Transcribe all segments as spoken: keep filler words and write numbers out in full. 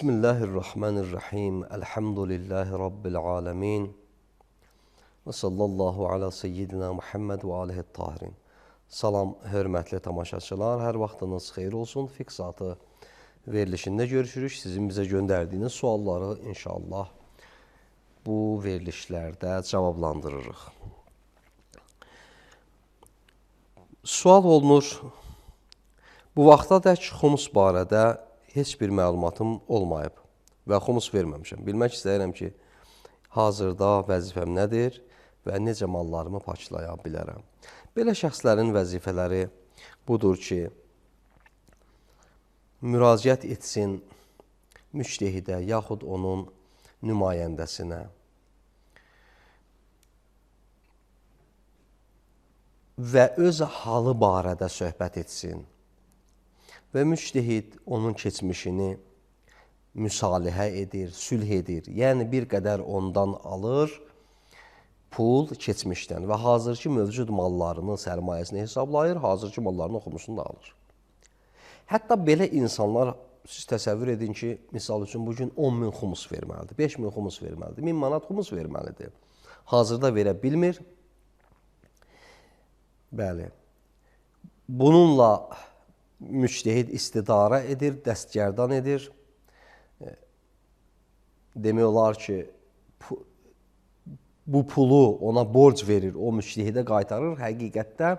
Bismillahirrahmanirrahim. Elhamdülillahi Rabbil alemin. Və sallallahu ala seyyidina Muhammed və alihi tahirin. Salam, hörmətli tamaşaçılar. Hər vaxtınız xeyir olsun. Fiqh Saatı verilişində görüşürük. Sizin bizə göndərdiyiniz sualları inşallah bu verilişlərdə cavablandırırıq. Sual olunur, bu vaxta dək xumus barədə heç bir məlumatım olmayıb və xumus verməmişəm. Bilmək istəyirəm ki, hazırda vəzifəm nədir və necə mallarımı paçlaya bilərəm. Belə şəxslərin vəzifələri budur ki, müraciət etsin müştehidə yaxud onun nümayəndəsinə və öz halı barədə söhbət etsin. Və müştehid onun keçmişini müsalihə edir, sülh edir. Yəni, bir qədər ondan alır pul keçmişdən və hazırki mövcud mallarını, sərmayəsini hesablayır, hazırki mallarını xumusunu da alır. Hətta belə insanlar, siz təsəvvür edin ki, misal üçün, bugün on min xumus verməlidir, beş min xumus verməlidir, min manat xumus verməlidir. Hazırda verə bilmir. Bəli, bununla müştehid istidara edir, dəstgərdan edir. Demək olar ki, bu pulu ona borc verir, o müştehidə qaytarır. Həqiqətdə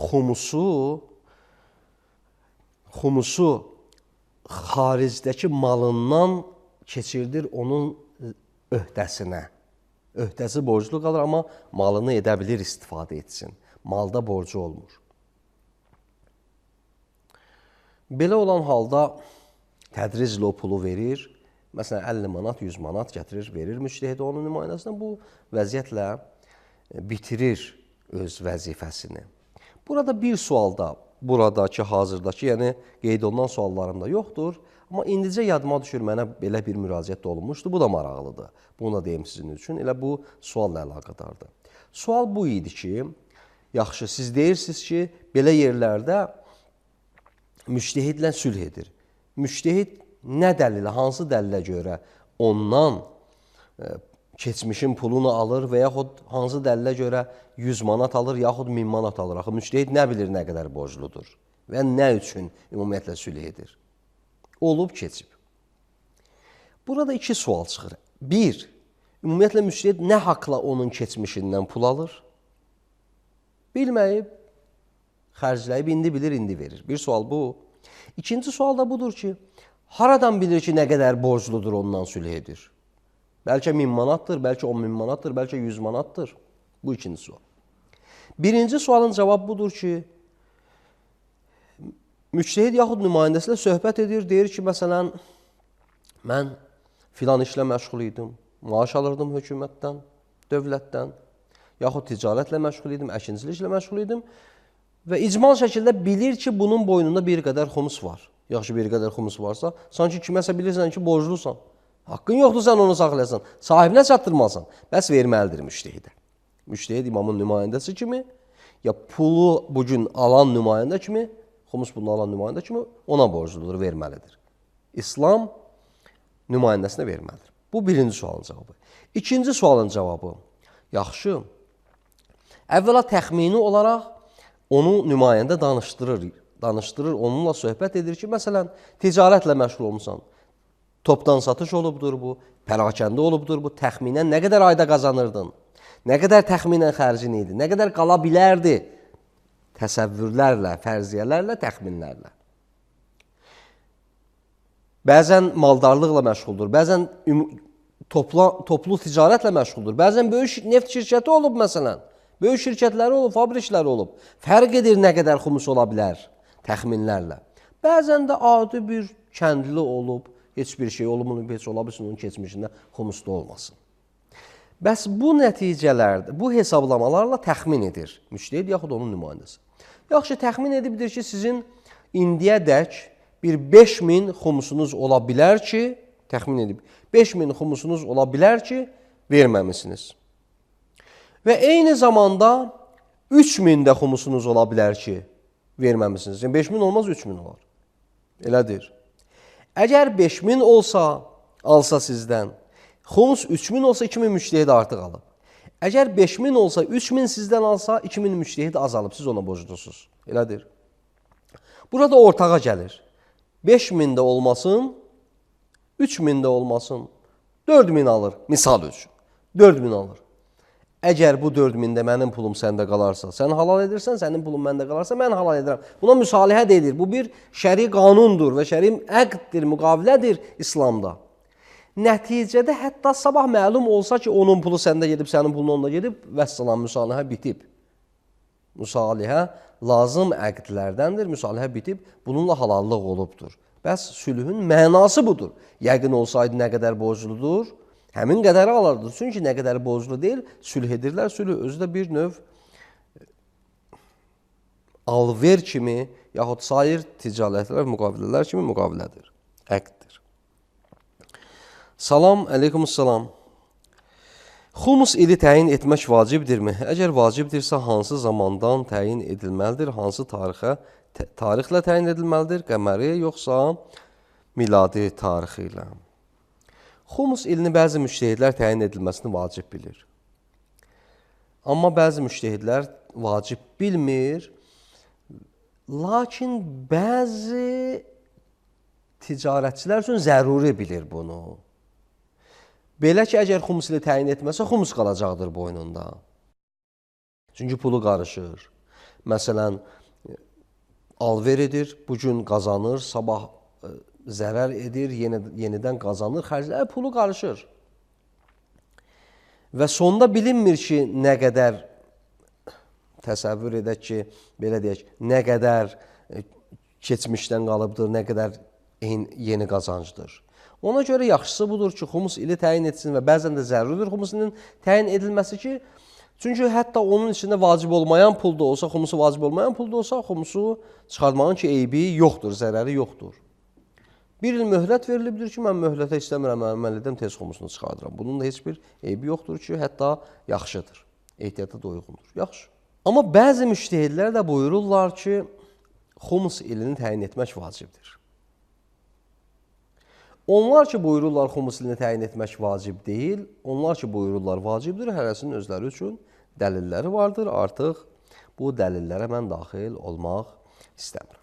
xumusu, xumusu xaricdəki malından keçirdir onun öhdəsinə. Öhdəsi borclu qalır, amma malını edə bilir, istifadə etsin. Malda borcu olmur. Belə olan halda tədriclə o pulu verir. Məsələn, əlli manat, yüz manat gətirir, verir müştehidə onun nümayəndəsinə. Bu vəziyyətlə bitirir öz vəzifəsini. Burada bir sual da, buradakı, hazırdakı, yəni qeyd olunan suallarım da yoxdur. Amma indicə yadıma düşür, mənə belə bir müraciət də olunmuşdu. Bu da maraqlıdır. Bunu da deyim sizin üçün. Elə bu sualla əlaqədardır. Sual bu idi ki, yaxşı, siz deyirsiniz ki, belə yerlərdə müştehidlə sülh edir. Müştehid nə dəlilə, hansı dəlilə görə ondan e, keçmişin pulunu alır və yaxud hansı dəlilə görə yüz manat alır, yaxud min manat alır. Axı, müştehid nə bilir nə qədər borcludur və nə üçün ümumiyyətlə sülh edir? Olub, keçib. Burada iki sual çıxır. Bir, ümumiyyətlə müştehid nə haqla onun keçmişindən pul alır? Bilməyib, xərcləyib, indi bilir, indi verir. Bir sual bu. İkinci sual da budur ki, haradan bilir ki, nə qədər borcludur ondan sülh edir? Bəlkə min manatdır, bəlkə on min manatdır, bəlkə yüz manatdır. Bu ikinci sual. Birinci sualın cavabı budur ki, müştehid yaxud nümayəndəsilə söhbət edir, deyir ki, məsələn, mən filan işlə məşğul idim, maaş alırdım hökumətdən, dövlətdən, yaxud ticarətlə məşğul idim, əkinçiliklə məşğul idim. Və icmal şəkildə bilir ki, bunun boynunda bir qədər xumus var. Yaxşı, bir qədər xumus varsa, sanki kiməsə bilirsən ki, borclusan. Haqqın yoxdur, sən onu saxlayasan. Sahibinə çatdırmasan, bəs verməlidir müştehidə. Müştehid imamın nümayəndəsi kimi, ya pulu bugün alan nümayəndə kimi, xumus bunu alan nümayəndə kimi ona borcludur, verməlidir. İslam nümayəndəsinə verməlidir. Bu birinci sualın cavabı. İkinci sualın cavabı, yaxşı, əvvəla təxmini olaraq onu nümayəndə danışdırır, danışdırır, onunla söhbət edir ki, məsələn, ticarətlə məşğul olmuşsan, topdan satış olubdur bu, pərakəndə olubdur bu, təxminən nə qədər ayda qazanırdın, nə qədər təxminən xərcin idi, nə qədər qala bilərdi təsəvvürlərlə, fərziyələrlə, təxminlərlə. Bəzən maldarlıqla məşğuldur, bəzən topla, toplu ticarətlə məşğuldur, bəzən böyük neft şirkəti olub məsələn. Böyük şirkətləri olub, fabrikləri olub. Fərq edir nə qədər xumus ola bilər təxminlərlə. Bəzən də adi bir kəndli olub, heç bir şey olub, heç ola bilsin onun keçmişində xumusda olmasın. Bəs bu nəticələrdə, bu hesablamalarla təxmin edir müştəhid yaxud onun nümayəndəsi. Yaxşı, təxmin edibdir ki, sizin indiyədək bir beş min xumusunuz ola bilər ki, təxmin edib, beş min xumusunuz ola bilər ki, verməmisiniz. Və eyni zamanda üç min də xumusunuz ola bilər ki, verməmisiniz. Yəni beş min olmaz, üç min olar. Elədir. Əgər beş min olsa, alsa sizdən, xumus üç min olsa, iki min müştəhid artıq alıb. Əgər beş min olsa, üç min sizdən alsa, iki min müştəhid azalıb, siz ona borclusunuz. Elədir. Burada ortağa gəlir. beş min də olmasın, üç min də olmasın, dörd min alır, misal üçün. dörd min alır. Əgər bu dörd min də mənim pulum səndə qalarsa, sən halal edirsən, sənin pulum məndə qalarsa, mən halal edirəm. Buna müsalihə deyilir. Bu bir şəri qanundur və şəri əqddir, müqavilədir İslamda. Nəticədə hətta sabah məlum olsa ki, onun pulu səndə gedib, sənin pulun onda gedib, vəssalam, müsalihə bitib. Müsalihə lazım əqdlərdəndir, müsalihə bitib, bununla halallıq olubdur. Bəs sülhün mənası budur. Yəqin olsaydı nə qədər borcludur, həmin qədəri alardı. Çünki nə qədər borclu deyil, sülh edirlər. Sülh özü də bir növ alver kimi, yaxud sair ticarətlər, müqavilələr kimi müqavilədir, əqddir. Salam, əleykumussalam. Xumus ili təyin etmək vacibdirmi? Əgər vacibdirsə, hansı zamandan təyin edilməlidir? Hansı tarixə, tarixlə təyin edilməlidir? Qəməri, yoxsa miladi tarixi ilə? Xumus ilini bəzi müştəhidlər təyin edilməsini vacib bilir. Amma bəzi müştəhidlər vacib bilmir. Lakin bəzi ticarətçilər üçün zəruri bilir bunu. Belə ki, əgər xumus ili təyin etməsə, xumus qalacaqdır boynunda. Çünki pulu qarışır. Məsələn, alver edir, bugün qazanır, sabah zərər edir, yeni, yenidən qazanır, xərclər, pulu qarışır. Və sonda bilinmir ki, nə qədər, təsəvvür edək ki, belə deyək, nə qədər keçmişdən qalıbdır, nə qədər yeni qazancdır. Ona görə yaxşısı budur ki, xumus ili təyin etsin və bəzən də zəruridir xumus ilinin təyin edilməsi ki, çünki hətta onun içində vacib olmayan pul da olsa, xumusu vacib olmayan pul da olsa, xumusu çıxartmağın ki, eybi yoxdur, zərəri yoxdur. Bir il möhlət verilibdir ki, mən möhlətə istəmirəm, əməl edəm, tez xumusunu çıxardıram. Bunun da heç bir eybi yoxdur ki, hətta yaxşıdır, ehtiyata da uyğundur. Yaxşı. Amma bəzi müştəhidlər də buyururlar ki, xumus ilini təyin etmək vacibdir. Onlar ki, buyururlar, xumus ilini təyin etmək vacib deyil, onlar ki, buyururlar, vacibdir, hərəsinin özləri üçün dəlilləri vardır. Artıq bu dəlillərə mən daxil olmaq istəmirəm.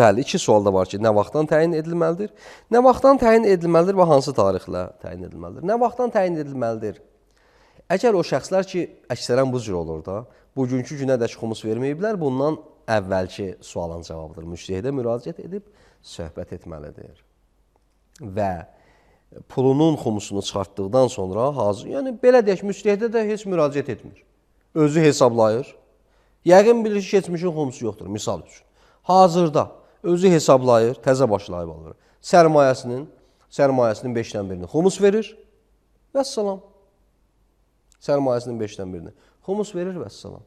Bəli, iki sual da var ki, nə vaxtdan təyin edilməlidir? Nə vaxtdan təyin edilməlidir və hansı tarixlə təyin edilməlidir? Nə vaxtdan təyin edilməlidir? Əgər o şəxslər ki, əksərən bu cür olur da, bugünkü günədək xumus verməyiblər, bundan əvvəlki sualın cavabıdır. Müştəhidə müraciət edib söhbət etməlidir. Və pulunun xumusunu çıxartdıqdan sonra hazır, yəni belə deyək, müştəhidə də heç müraciət etmir. Özü hesablayır. Yəqin bilir ki, keçmişin xumusu yoxdur, misal üçün. Hazırda özü hesablayır, təzə başlayıb alır. Sərmayəsinin, sərmayəsinin beşdən birini xumus verir, vəssalam. Sərmayəsinin beşdən birini xumus verir, vəssalam.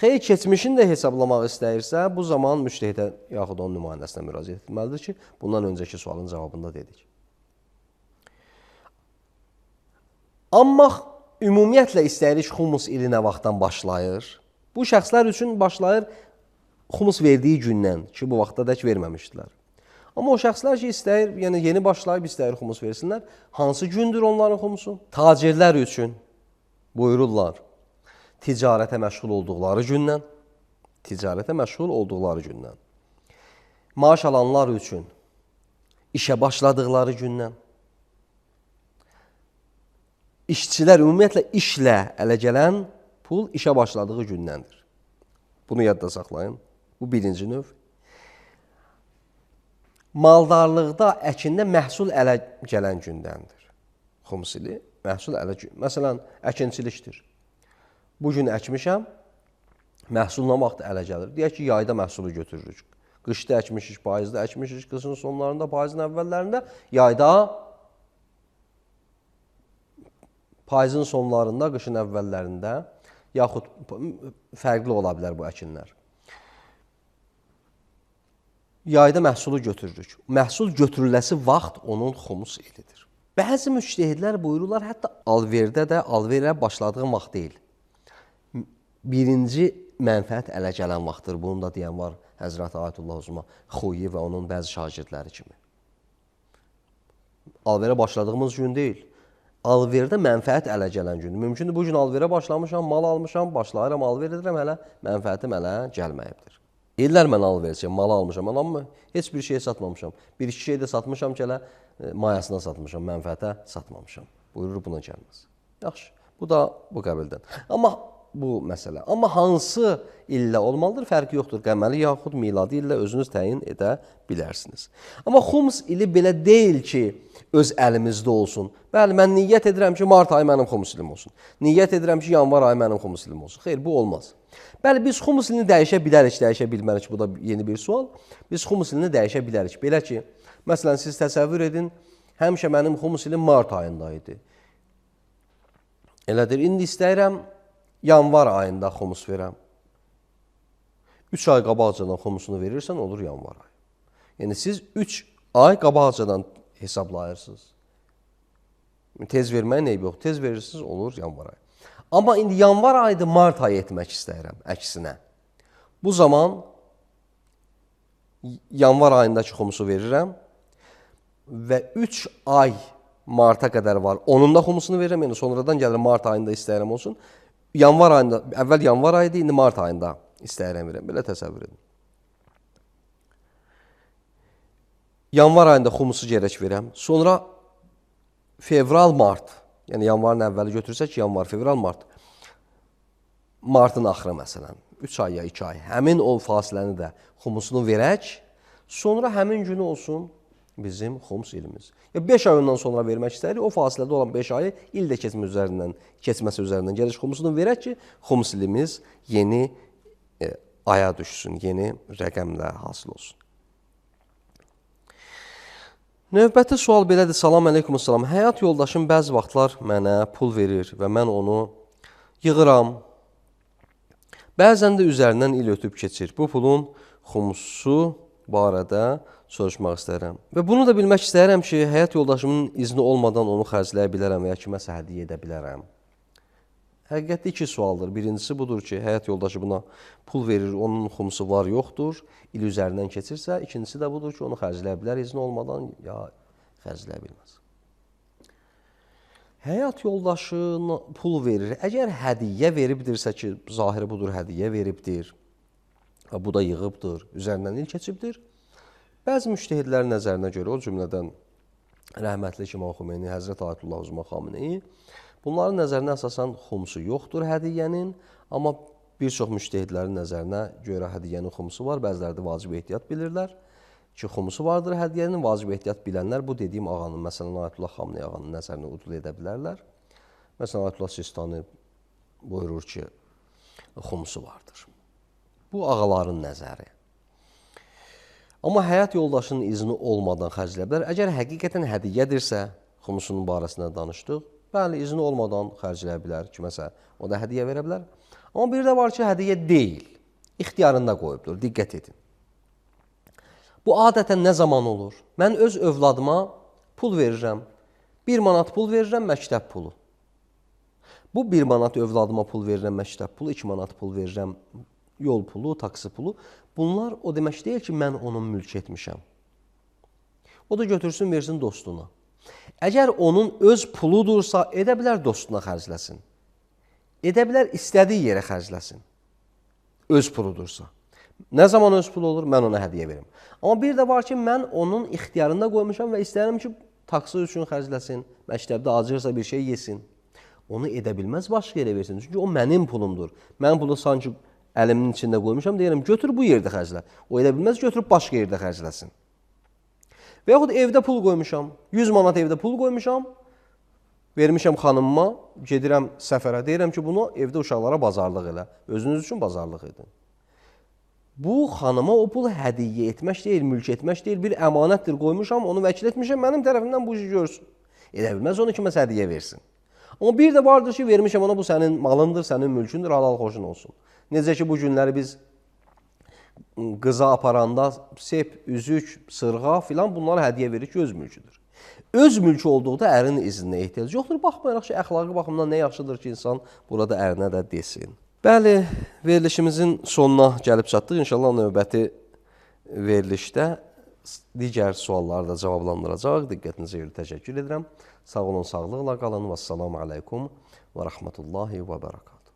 Xeyr, keçmişini də hesablamaq istəyirsə, bu zaman müştəhidə yaxud onun nümayəndəsinə müraciət etməlidir ki, bundan öncəki sualın cavabında dedik. Amma ümumiyyətlə istəyirik xumus ili nə vaxtdan başlayır? Bu şəxslər üçün başlayır xumus verdiyi gündən ki, bu vaxta dək verməmişdilər. Amma o şəxslər ki, istəyir, yəni yeni başlayıb istəyir xumus versinlər, hansı gündür onların xumusu? Tacirlər üçün buyururlar, ticarətə məşğul olduqları gündən, ticarətə məşğul olduqları gündən. Maaş alanlar üçün işə başladıqları gündən. İşçilər ümumiyyətlə işlə ələ gələn pul işə başladığı gündəndir. Bunu yadda saxlayın. Bu birinci növ. Maldarlıqda, əkində məhsul ələ gələn gündəndir. Xumus ili məhsul ələ gün. Məsələn, əkinçilikdir. Bu gün əkmişəm, məhsul nə vaxt ələ gəlir? Deyək ki, yayda məhsulu götürürük. Qışda əkmişik, payızda əkmişik, qışın sonlarında, payızın əvvəllərində, yayda, payızın sonlarında, qışın əvvəllərində, yaxud fərqli ola bilər bu əkinlər. Yayda məhsulu götürürük. Məhsul götürüləsi vaxt onun xumus ilidir. Bəzi müctəhidlər buyururlar, hətta alverdə də alverə başladığın vaxt deyil. Birinci mənfəət ələ gələn vaxtdır. Bunu da deyən var Həzrəti Ayətullah Uzma Xuyi və onun bəzi şagirdləri kimi. Alverə başladığımız gün deyil. Alverdə mənfəət ələ gələn gündür. Mümkündür, bu gün alverə başlamışam, mal almışam, başlayıram, alver edirəm, hələ mənfəətim ələ gəlməyibdir. İllər mən alverçiyəm, malı almışam, amma heç bir şey satmamışam. Bir iki şey də satmışam ki, elə mayasına satmışam, mənfəətə satmamışam. Buyurur, buna gəlməz. Yaxşı, bu da bu qəbildən. Amma bu məsələ. Amma hansı illə olmalıdır? Fərqi yoxdur. Qəməli yaxud miladi illə özünüz təyin edə bilərsiniz. Amma xumus ili belə deyil ki, öz əlimizdə olsun. Bəli, mən niyyət edirəm ki, mart ayı mənim xumus ilim olsun. Niyyət edirəm ki, yanvar ayı mənim xumus ilim olsun. Xeyr, bu olmaz. Bəli, biz xumus ilini dəyişə bilərik, dəyişə bilmərik. Bu da yeni bir sual. Biz xumus ilini dəyişə bilərik. Belə ki, məsələn, siz təsəvvür edin, həmişə mənim xumus ilim mart ayında idi. Elədir, indi istəyirəm, yanvar ayında xumus verəm. Üç ay qabaqcadan xumusunu verirsən, olur yanvar ayı. Yəni, siz üç ay qabaqcadan hesablayırsınız. Tez verməyin eybi yox. Tez verirsiniz, olur yanvar ayı. Amma indi yanvar ayında mart ayı etmək istəyirəm, əksinə. Bu zaman yanvar ayındakı xumusu verirəm və üç ay marta qədər var. Onun da xumusunu verirəm, yəni sonradan gəlir mart ayında istəyirəm olsun. Yanvar ayında, əvvəl yanvar ayıydı, indi mart ayında istəyirəm verəm. Belə təsəvvür edin. Yanvar ayında xumusu gərək verəm. Sonra fevral, mart, yəni yanvarın əvvəli götürsək, yanvar, fevral, mart. Martın axırı məsələn, üç ay ya iki ay. Həmin o fasiləni də xumusunu verək, sonra həmin günü olsun bizim xumus ilimiz. Ya beş ay ondan sonra vermək istəyirik, o fasilədə olan beş ayı il də keçməsi üzərindən, keçməsi üzərindən gəlir xumusunu verək ki, xumus ilimiz yeni e, aya düşsün, yeni rəqəmlə hasil olsun. Növbəti sual belədir. Salam əleykum, salam. Həyat yoldaşım bəzi vaxtlar mənə pul verir və mən onu yığıram. Bəzən də üzərindən il ötüb keçir. Bu pulun xumusu barədə soruşmaq istəyirəm. Və bunu da bilmək istəyirəm ki, həyat yoldaşımın izni olmadan onu xərcləyə bilərəm və ya kiməsə hədiyyə edə bilərəm. Həqiqətdə iki sualdır. Birincisi budur ki, həyat yoldaşı buna pul verir, onun xumusu var, yoxdur. İl üzərindən keçirsə, ikincisi də budur ki, onu xərcləyə bilər izni olmadan, ya xərcləyə bilməz. Həyat yoldaşına pul verir. Əgər hədiyyə veribdirsə ki, zahiri budur, hədiyyə veribdir, bu da yığıbdır, üzərindən il keçibdir. Bəzi müştəhidlərin nəzərinə görə, o cümlədən rəhmətli İmam Xomeyni, Həzrət Ayətullah Uzma Xameneyi, bunların nəzərinə əsasən xumusu yoxdur hədiyyənin, amma bir çox müştəhidlərin nəzərinə görə hədiyyənin xumusu var, bəziləri də vacib ehtiyat bilirlər ki, xumusu vardır hədiyyənin, vacib ehtiyat bilənlər bu dediyim ağanın, məsələn, Ayətullah Xameneyi ağanın nəzərinə udul edə bilərlər. Məsələn, Ayətullah Sistani buyurur ki, xumusu vardır. Bu ağaların nəzəri. Amma həyat yoldaşının izni olmadan xərcləyə bilər. Əgər həqiqətən hədiyyədirsə, xumusunun barəsində danışdıq, bəli, izni olmadan xərcləyə bilər kiməsə, o da hədiyyə verə bilər. Amma bir də var ki, hədiyyə deyil, ixtiyarında qoyubdur, diqqət edin. Bu adətən nə zaman olur? Mən öz övladıma pul verirəm, bir manat pul verirəm, məktəb pulu. Bu bir manat övladıma pul verirəm, məktəb pulu, iki manat pul verirəm, yol pulu, taksi pulu. Bunlar o demək deyil ki, mən onun mülk etmişəm. O da götürsün, versin dostuna. Əgər onun öz puludursa, edə bilər dostuna xərcləsin. Edə bilər istədiyi yerə xərcləsin. Öz puludursa. Nə zaman öz pulu olur? Mən ona hədiyyə verim. Amma bir də var ki, mən onun ixtiyarında qoymuşam və istəyirəm ki, taksi üçün xərcləsin, məktəbdə acırsa bir şey yesin. Onu edə bilməz, başqa yerə versin. Çünki o mənim pulumdur. Mən pulu sanki əlimin içində qoymuşam, deyirəm, götür bu yerdə xərclə. O edə bilməz, götürüb başqa yerdə xərcləsin. Və yaxud evdə pul qoymuşam, yüz manat evdə pul qoymuşam, vermişəm xanımıma, gedirəm səfərə, deyirəm ki, bunu evdə uşaqlara bazarlıq elə. Özünüz üçün bazarlıq edin. Bu, xanıma o pulu hədiyyə etmək deyil, mülk etmək deyil, bir əmanətdir qoymuşam, onu vəkil etmişəm, mənim tərəfimdən bu işi görsün. Edə bilməz, onu kiməsə hədiyyə versin. Amma bir də vardır ki, vermişəm ona, bu sənin malındır, sənin mülkündür, halal xoşun olsun. Necə ki, bu günləri biz qıza aparanda sep, üzük, sırğa filan bunları hədiyyə verir ki, öz mülküdür. Öz mülkü olduğunda ərin izninə ehtiyac yoxdur. Baxmayaraq ki, əxlaqi baxımdan nə yaxşıdır ki, insan burada ərinə də desin. Bəli, verilişimizin sonuna gəlib çatdıq. İnşallah növbəti verilişdə digər sualları da cavablandıracaq. Diqqətinizə görə təşəkkür edirəm. Sağ olun, sağlıqla qalın. Vəssalamu aleykum və rəhmətullahi və bərəkatuhu.